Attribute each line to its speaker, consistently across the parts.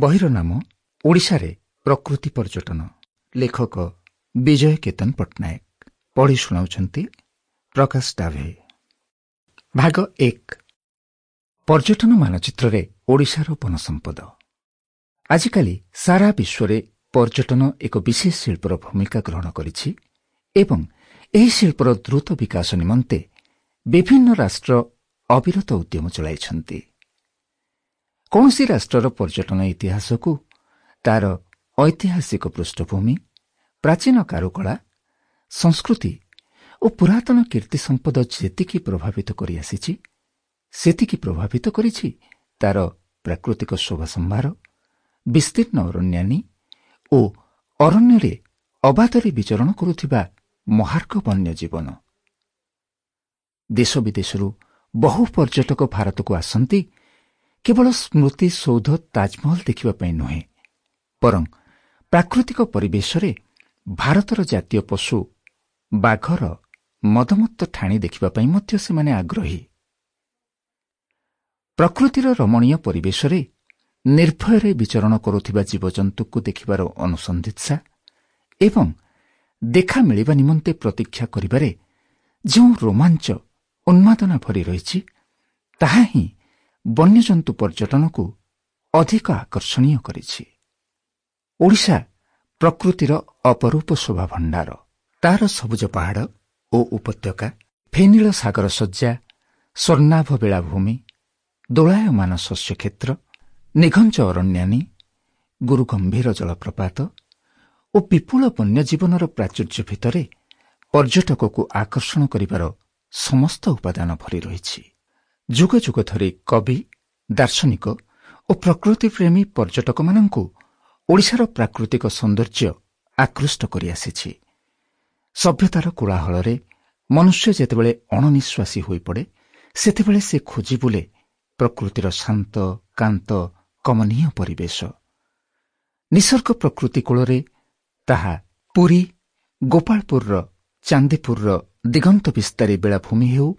Speaker 1: ବହିର ନାମ ଓଡ଼ିଶାରେ ପ୍ରକୃତି ପର୍ଯ୍ୟଟନ। ଲେଖକ ବିଜୟ କେତନ ପଟ୍ଟନାୟକ। ପଢ଼ି ଶୁଣାଉଛନ୍ତି ପ୍ରକାଶ ଡାଭେ। ଭାଗ 1। ପର୍ଯ୍ୟଟନ ମାନଚିତ୍ରରେ ଓଡ଼ିଶାର ବନସମ୍ପଦ। ଆଜିକାଲି ସାରା ବିଶ୍ୱରେ ପର୍ଯ୍ୟଟନ ଏକ ବିଶେଷ ଶିଳ୍ପର ଭୂମିକା ଗ୍ରହଣ କରିଛି ଏବଂ ଏହି ଶିଳ୍ପର ଦ୍ରୁତ ବିକାଶ ନିମନ୍ତେ ବିଭିନ୍ନ ରାଷ୍ଟ୍ର ଅବିରତ ଉଦ୍ୟମ ଚଳାଇଛନ୍ତି। କୌଣସି ରାଷ୍ଟ୍ରର ପର୍ଯ୍ୟଟନ ଇତିହାସକୁ ତାର ଐତିହାସିକ ପୃଷ୍ଠଭୂମି, ପ୍ରାଚୀନ କାରୁକଳା, ସଂସ୍କୃତି ଓ ପୁରାତନ କୀର୍ତ୍ତି ସମ୍ପଦ ଯେତିକି ପ୍ରଭାବିତ କରିଆସିଛି, ସେତିକି ପ୍ରଭାବିତ କରିଛି ତାର ପ୍ରାକୃତିକ ଶୋଭା ସମ୍ଭାର, ବିସ୍ତୀର୍ଣ୍ଣ ଅରଣ୍ୟାନୀ ଓ ଅରଣ୍ୟରେ ଅବାଧରେ ବିଚରଣ କରୁଥିବା ମହାର୍ଘ ବନ୍ୟଜୀବନ। ଦେଶ ବିଦେଶରୁ ବହୁ ପର୍ଯ୍ୟଟକ ଭାରତକୁ ଆସନ୍ତି କେବଳ ସ୍ମୃତି ସୌଧ ତାଜମହଲ ଦେଖିବା ପାଇଁ ନୁହେଁ, ବରଂ ପ୍ରାକୃତିକ ପରିବେଶରେ ଭାରତର ଜାତୀୟ ପଶୁ ବାଘର ମଦମତ୍ତ ଠାଣି ଦେଖିବା ପାଇଁ ମଧ୍ୟ ସେମାନେ ଆଗ୍ରହୀ। ପ୍ରକୃତିର ରମଣୀୟ ପରିବେଶରେ ନିର୍ଭୟରେ ବିଚରଣ କରୁଥିବା ଜୀବଜନ୍ତୁଙ୍କୁ ଦେଖିବାର ଅନୁସନ୍ଧିତ୍ସା ଏବଂ ଦେଖା ମିଳିବା ନିମନ୍ତେ ପ୍ରତୀକ୍ଷା କରିବାରେ ଯେଉଁ ରୋମାଞ୍ଚ, ଉନ୍ମାଦନା ଭରି ରହିଛି, ତାହା ହିଁ ବନ୍ୟଜନ୍ତୁ ପର୍ଯ୍ୟଟନକୁ ଅଧିକ ଆକର୍ଷଣୀୟ କରିଛି। ଓଡ଼ିଶା ପ୍ରକୃତିର ଅପରୂପ ଶୋଭା ଭଣ୍ଡାର। ତାର ସବୁଜ ପାହାଡ଼ ଓ ଉପତ୍ୟକା, ଫେନିଳ ସାଗର ଶଯ୍ୟା, ସ୍ୱର୍ଣ୍ଣାଭ ବେଳାଭୂମି, ଦୋଳାୟମାନ ଶସ୍ୟକ୍ଷେତ୍ର, ନିଘଞ୍ଚ ଅରଣ୍ୟାନୀ, ଗୁରୁଗମ୍ଭୀର ଜଳପ୍ରପାତ ଓ ବିପୁଳ ବନ୍ୟଜୀବନର ପ୍ରାଚୁର୍ଯ୍ୟ ଭିତରେ ପର୍ଯ୍ୟଟକକୁ ଆକର୍ଷଣ କରିବାର ସମସ୍ତ ଉପାଦାନ ଭରି ରହିଛି। ଯୁଗ ଯୁଗ ଧରି କବି, ଦାର୍ଶନିକ ଓ ପ୍ରକୃତିପ୍ରେମୀ ପର୍ଯ୍ୟଟକମାନଙ୍କୁ ଓଡ଼ିଶାର ପ୍ରାକୃତିକ ସୌନ୍ଦର୍ଯ୍ୟ ଆକୃଷ୍ଟ କରିଆସିଛି। ସଭ୍ୟତାର କୋଳାହଳରେ ମନୁଷ୍ୟ ଯେତେବେଳେ ଅଣନିଶ୍ୱାସୀ ହୋଇପଡ଼େ, ସେତେବେଳେ ସେ ଖୋଜି ବୁଲେ ପ୍ରକୃତିର ଶାନ୍ତ, କାନ୍ତ, କମନୀୟ ପରିବେଶ। ନିସର୍ଗ ପ୍ରକୃତି କୂଳରେ ତାହା ପୁରୀ, ଗୋପାଳପୁରର ଚାନ୍ଦିପୁରର ଦିଗନ୍ତ ବିସ୍ତାରୀ ବେଳାଭୂମି ହେଉ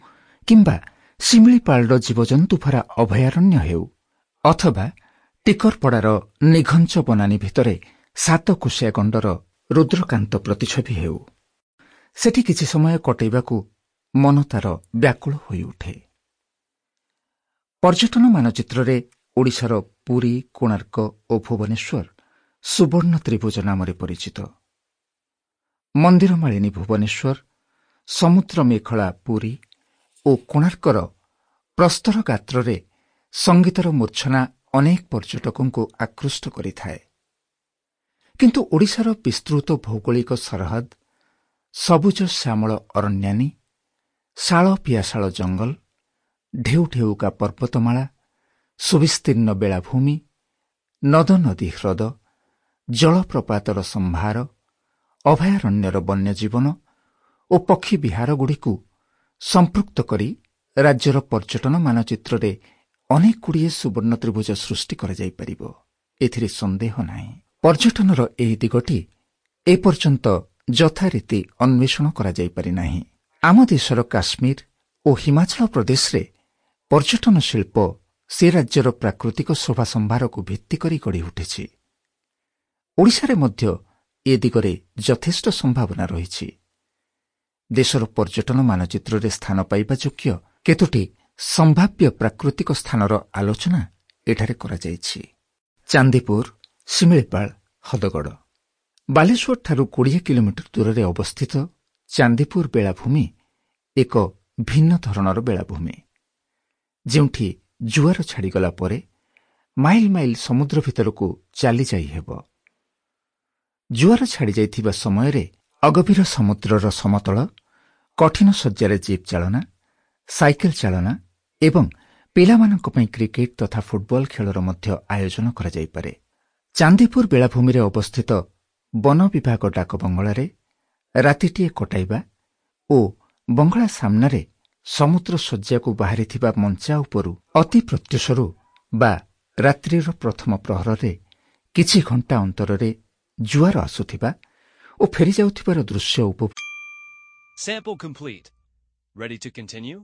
Speaker 1: କିମ୍ବା ଶିମିଳିପାଳର ଜୀବଜନ୍ତୁ ଭରା ଅଭୟାରଣ୍ୟ ହେଉ ଅଥବା ଟିକରପଡ଼ାର ନିଘଞ୍ଚ ବନାନୀ ଭିତରେ ସାତକୋଶିଆ ଗଣ୍ଡର ରୁଦ୍ରକାନ୍ତ ପ୍ରତିଛବି ହେଉ, ସେଠି କିଛି ସମୟ କଟେଇବାକୁ ମନ ତାର ବ୍ୟାକୁଳ ହୋଇଉଠେ। ପର୍ଯ୍ୟଟନ ମାନଚିତ୍ରରେ ଓଡ଼ିଶାର ପୁରୀ, କୋଣାର୍କ ଓ ଭୁବନେଶ୍ୱର ସୁବର୍ଣ୍ଣ ତ୍ରିଭୁଜ ନାମରେ ପରିଚିତ। ମନ୍ଦିରମାଳିନୀ ଭୁବନେଶ୍ୱର, ସମୁଦ୍ର ମେଖଳା ପୁରୀ ଓ କୋଣାର୍କର ପ୍ରସ୍ତର ଗାତ୍ରରେ ସଙ୍ଗୀତର ମୂର୍ଚ୍ଛନା ଅନେକ ପର୍ଯ୍ୟଟକଙ୍କୁ ଆକୃଷ୍ଟ କରିଥାଏ। କିନ୍ତୁ ଓଡ଼ିଶାର ବିସ୍ତୃତ ଭୌଗୋଳିକ ସରହଦ, ସବୁଜ ଶ୍ୟାମଳ ଅରଣ୍ୟାନୀ, ଶାଳ ପିଆଶାଳ ଜଙ୍ଗଲ, ଢେଉ ଢେଉକା ପର୍ବତମାଳା, ସୁବିସ୍ତୀର୍ଣ୍ଣ ବେଳାଭୂମି, ନଦ ନଦୀ ହ୍ରଦ, ଜଳପ୍ରପାତର ସମ୍ଭାର, ଅଭୟାରଣ୍ୟର ବନ୍ୟଜୀବନ ଓ ପକ୍ଷୀ ବିହାରଗୁଡ଼ିକୁ ସମ୍ପୃକ୍ତ କରି ରାଜ୍ୟର ପର୍ଯ୍ୟଟନ ମାନଚିତ୍ରରେ ଅନେକଗୁଡ଼ିଏ ସୁବର୍ଣ୍ଣ ତ୍ରିଭୁଜ ସୃଷ୍ଟି କରାଯାଇପାରିବ, ଏଥିରେ ସନ୍ଦେହ ନାହିଁ। ପର୍ଯ୍ୟଟନର ଏହି ଦିଗଟି ଏପର୍ଯ୍ୟନ୍ତ ଯଥାରୀତି ଅନ୍ୱେଷଣ କରାଯାଇପାରି ନାହିଁ। ଆମ ଦେଶର କାଶ୍ମୀର ଓ ହିମାଚଳ ପ୍ରଦେଶରେ ପର୍ଯ୍ୟଟନ ଶିଳ୍ପ ସେ ରାଜ୍ୟର ପ୍ରାକୃତିକ ଶୋଭା ସମ୍ଭାରକୁ ଭିତ୍ତି କରି ଗଢ଼ି ଉଠିଛି। ଓଡ଼ିଶାରେ ମଧ୍ୟ ଏ ଦିଗରେ ଯଥେଷ୍ଟ ସମ୍ଭାବନା ରହିଛି। ଦେଶର ପର୍ଯ୍ୟଟନ ମାନଚିତ୍ରରେ ସ୍ଥାନ ପାଇବା ଯୋଗ୍ୟ କେତୋଟି ସମ୍ଭାବ୍ୟ ପ୍ରାକୃତିକ ସ୍ଥାନର ଆଲୋଚନା ଏଠାରେ କରାଯାଇଛି। ଚାନ୍ଦିପୁର, ଶିମିଳିପାଳ, ହଦଗଡ଼। ବାଲେଶ୍ୱରଠାରୁ 20 କିଲୋମିଟର ଦୂରରେ ଅବସ୍ଥିତ ଚାନ୍ଦିପୁର ବେଳାଭୂମି ଏକ ଭିନ୍ନ ଧରଣର ବେଳାଭୂମି, ଯେଉଁଠି ଜୁଆର ଛାଡ଼ିଗଲା ପରେ ମାଇଲ ମାଇଲ ସମୁଦ୍ର ଭିତରକୁ ଚାଲିଯାଇ ହେବ। ଜୁଆର ଛାଡ଼ିଯାଇଥିବା ସମୟରେ ଅଗଭୀର ସମୁଦ୍ରର ସମତଳ କଠିନ ଶଯ୍ୟାରେ ଜିପ୍ ଚାଳନା, ସାଇକେଲ ଚାଳନା ଏବଂ ପିଲାମାନଙ୍କ ପାଇଁ କ୍ରିକେଟ ତଥା ଫୁଟବଲ ଖେଳର ମଧ୍ୟ ଆୟୋଜନ କରାଯାଇପାରେ। ଚାନ୍ଦିପୁର ବେଳାଭୂମିରେ ଅବସ୍ଥିତ ବନ ବିଭାଗ ଡାକ ବଙ୍ଗଳାରେ ରାତିଟିଏ କଟାଇବା ଓ ବଙ୍ଗଳା ସାମ୍ନାରେ ସମୁଦ୍ର ଶଯ୍ୟାକୁ ବାହାରିଥିବା ମଞ୍ଚା ଉପରୁ ଅତି ପ୍ରତ୍ୟୁଷରୁ ବା ରାତ୍ରିର ପ୍ରଥମ ପ୍ରହରରେ କିଛି ଘଣ୍ଟା ଅନ୍ତରରେ ଜୁଆର ଆସୁଥିବା ଓ ଫେରିଯାଉଥିବାର ଦୃଶ୍ୟ ଉପଭୋଗ
Speaker 2: Sample complete. Ready to continue?